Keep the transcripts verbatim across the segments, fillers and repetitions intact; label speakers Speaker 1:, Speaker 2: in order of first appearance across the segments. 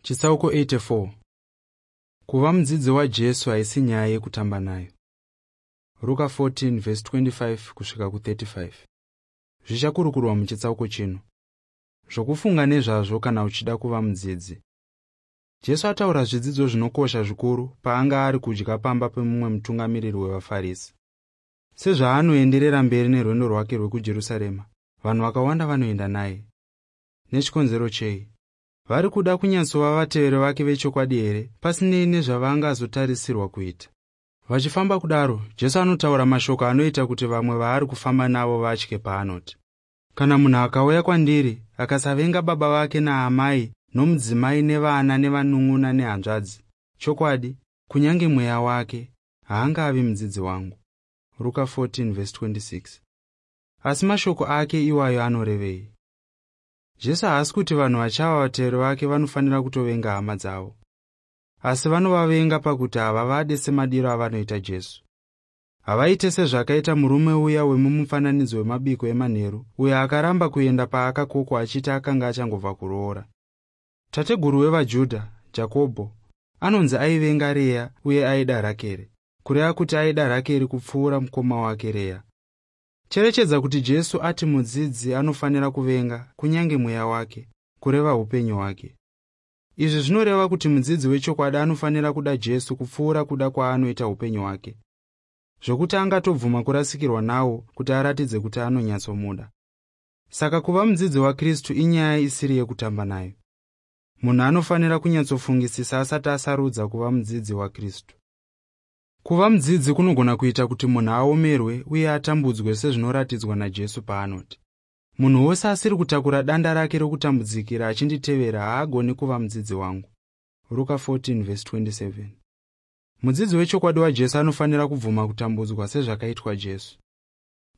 Speaker 1: Chitsauko eighty-four. Kuva mudzidzi waJesu haisi nyaya yekutamba nayo. Ruka fourteen verse twenty-five kusvika ku thirty-five. Zvichakurukurwa muchitsauko chino. Zvokufunga nezvazvo kana uchida kuva mudzidzi. Jesu ataura zvidzidzo zvinokosha zvikuru paanga ari kudya pamba pemumwe mutungamiriri wevaFarisi. Sezvaanoenderera mberi nerwendo rwake rwekuJerusarema, vanhu vakawanda vanoenda naye. Nechikonzero chei? Vari kuda kunyatsova vateveri vake vechokwadi here, pasinei nezvavangazotarisirwa kuita? Vachifamba kudaro, Jesu anotaura mashoko anoita kuti vamwe vaari kufamba navo vatye paanoti, kana munhu akauya kwandiri akasavenga baba vake naamai nomudzimai nevana nevanun'una nehanzvadzi, chokwadi kunyange mweya wake haangavi mudzidzi wangu. Ruka fourteen verse twenty-six. Asi mashoko ake iwayo anorevei? Jesu haasi kuti vanhu vachava vateveri vake vanofanira kutovenga hama dzavo, asi vanovavenga pakuti havavade semadiro avanoita Jesu. Havaite sezvakaita murume uya wemumufananidzo wemabiko emanheru, uyo akaramba kuenda paakakokwa achiti akanga achangobva kuroora. Tateguru wevaJudha, Jakobho, anonzi aivenga Rea uye aida Rakeri, kureva kuti aida Rakeri kupfuura mukoma wake Rea. Cherechedza kuti Jesu ati mudzidzi anofanira kuvenga kunyange mweya wake, kureva upenyu hwake. Izvi zvinoreva kuti mudzidzi wechokwadi anofanira kuda Jesu kupfuura kuda kwaanoita upenyu hwake, zvokuti angatobvuma kurasikirwa nawo kuti aratidze kuti anonyatsomuda. Saka kuva mudzidzi waKristu inyaya isiri yekutamba nayo. Munhu anofanira kunyatsofungisisa asati asarudza kuva mudzidzi waKristu. Kuva mudzidzi kunogona kuita kuti munhu aomerwe uye atambudzwe sezvinoratidzwa naJesu paanoti, munhu wose asiri kutakura danda rake rokutambudzikira achinditevera haagoni kuva mudzidzi wangu. Ruka fourteen verse twenty-seven. Mudzidzi wechokwadi waJesu anofanira kubvuma kutambudzwa sezvakaitwa Jesu.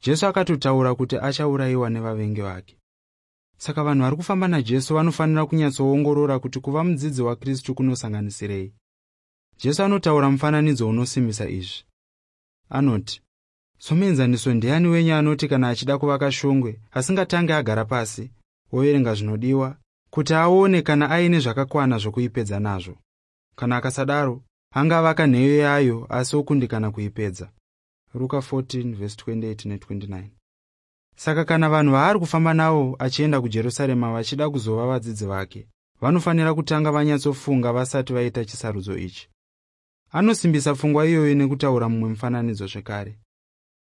Speaker 1: Jesu akatotaura kuti achaurayiwa nevavengi vake. Saka vanhu vari kufamba naJesu vanofanira kunyatsoongorora kuti kuva mudzidzi waKristu kunosanganisirei. Jesu anotaura mufananidzo unosimbisa izvi. Anoti, somuenzaniso ndiani wenyu anoti kana achida kuvaka shongwe asingatange agara pasi overenga zvinodiwa kuti aone kana aine zvakakwana zvokuipedza nazvo? Kana akasadaro, angavaka nheyo yayo asi okundikana kuipedza. Ruka fourteen verse twenty-eight ne twenty-nine. Saka kana vanhu vaari kufamba navo achienda kuJerusarema vachida kuzova vadzidzi vake, vanofanira kutanga vanyatsofunga vasati vaita chisarudzo ichi. Anosimbisa pfungwa iyoyo nekutaura mumwe mufananidzo zvekare.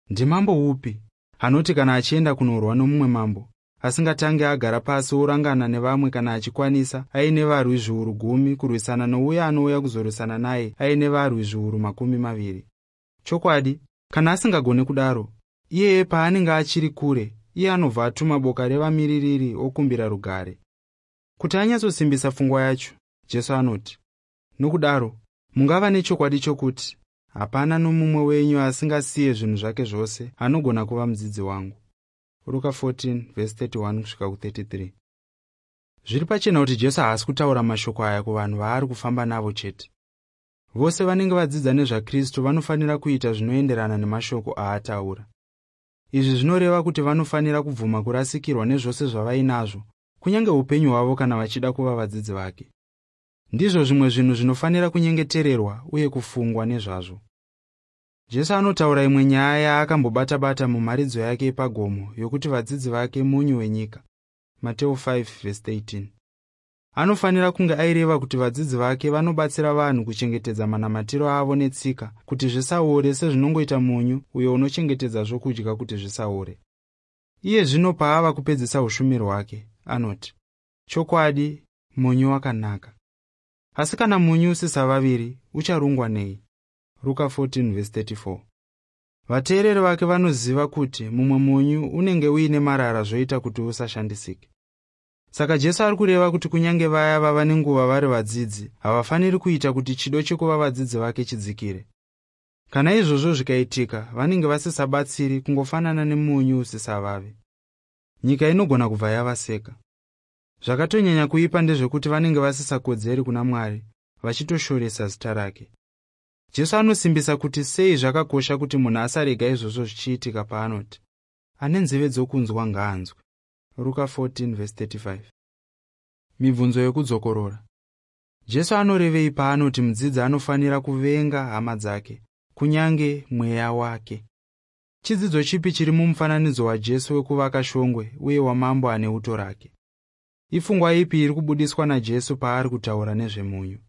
Speaker 1: Ndimambo upi anoti kana achienda kunorwa nomumwe mambo asingatange agara pasi orangana nevamwe kana achikwanisa aine varwi zviuru gumi kurwisana nouya anouya kuzorwisana naye aine varwi zviuru makumi maviri? Chokwadi, kana asingagoni kudaro, iyeye paanenge achiri kure, iye anobva atuma boka revamiririri okumbira rugare. Kuti anyatsosimbisa pfungwa yacho, Jesu anoti, nokudaro mungava nechokwadi chokuti hapana nomumwe wenyu asingasiye zvinhu zvake zvose anogona kuva mudzidzi wangu. Ruka fourteen verse thirty-one kusvika ku thirty-three. Zviri pachena kuti Jesu haasi kutaura mashoko aya kuvanhu vaari kufamba navo chete. Vose vanenge vadzidza nezvaKristu vanofanira kuita zvinoenderana nemashoko aataura. Izvi zvinoreva kuti vanofanira kubvuma kurasikirwa nezvose zvavainazvo, kunyange upenyu hwavo kana vachida kuva vadzidzi vake. Ndizvo zvimwe zvinhu zvinofanira kunyengetererwa uye kufungwa nezvazvo. Jesu anotaura imwe nyaya yaakambobata-bata mumharidzo yake yepagomo yokuti vadzidzi vake munyu wenyika. Mateo five verse thirteen. Anofanira kunge aireva kuti vadzidzi vake vanobatsira vanhu kuchengetedza manamatiro avo netsika kuti zvisaore sezvinongoita munyu uyo unochengetedza zvokudya kuti zvisaore. Iye zvino paava kupedzisa ushumiri hwake, anoti, chokwadi munyu wakanaka. Asi kana munyu usisavaviri, ucharungwa nei? Ruka fourteen verse thirty-four. Vateereri vake vanoziva kuti mumwe munyu unenge uine marara zvoita kuti usashandisike. Saka Jesu ari kureva kuti kunyange vaya vava nenguva vari vadzidzi havafaniri kuita kuti chido chekuva vadzidzi vake chidzikire. Kana izvozvo zvikaitika, vanenge vasisabatsiri kungofanana nemunyu usisavavi. Nyika inogona kubva yavaseka. Zvakatonyanya kuipa ndezvekuti vanenge vasisakodzeri kuna Mwari, vachitoshoresa zita rake. Jesu anosimbisa kuti sei zvakakosha kuti munhu asarega izvozvo zvichiitika paanoti, ane nzeve dzokunzwa ngaanzwe. Ruka fourteen verse thirty-five. Mibvunzo yekudzokorora. Jesu anorevei paanoti mudzidzi anofanira kuvenga hama dzake kunyange mweya wake? Chidzidzo chipi chiri mumufananidzo waJesu wekuvaka shongwe uye wamambo ane uto rake? Ipfungwa ipi iri kubudiswa naJesu paari kutaura nezvemunyu?